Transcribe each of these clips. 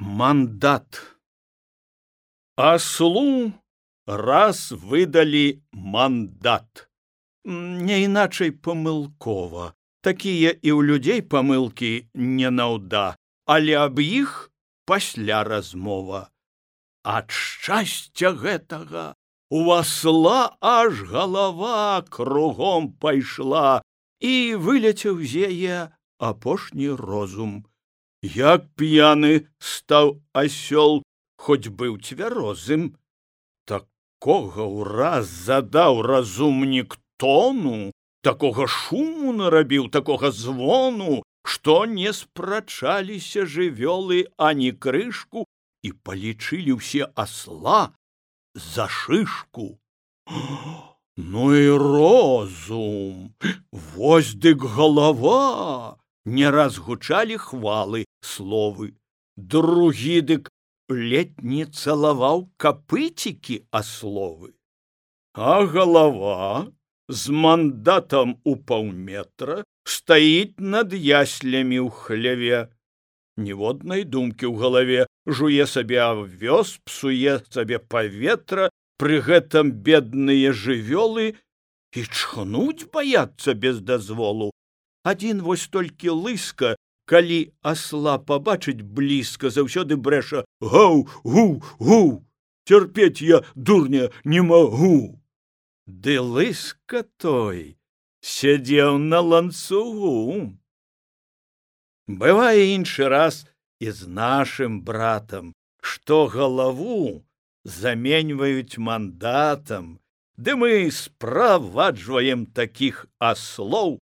Мандат. Аслу раз выдалі мандат. Не іначай памылкова. Такія і ў людзей памылкі не наўда, але аб іх пасля размова. Ад шчасця гэтага у асла аж галава кругом пайшла, і выляцеў з яе апошні розум. Як п'яны стаў асёл, хоць быў цвярозым. Такога ўраз задаў разумнік тону, такога шуму нарабіў, такога звону, што не спрачаліся жывёлы ані крышку, і палічылі ўсе асла за шышку. Ну і розум! Вось дык галава! Не раз гучалі хвалы, словы. Другі дык ледь не цалаваў капыцікі асловы. А галава з мандатам у паўметра стаіць над яслямі ў хляве. Ніводнай думкі ў галаве, жуе сабе авёс, псуе сабе паветра, пры гэтым бедныя жывёлы і чхнуць баяцца без дазволу. Адзін вось толькі лыска, калі асла пабачыць блізка, заўсёды брэша: «Гаў, гу, гу! Цярпець я, дурня, не магу!» Ды лыска той сядзеў на ланцугу. Бывае іншы раз і з нашым братам, што галаву заменьваюць мандатам, ды мы справаджваем такіх аслоў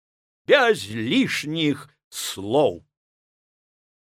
без лішніх слоў.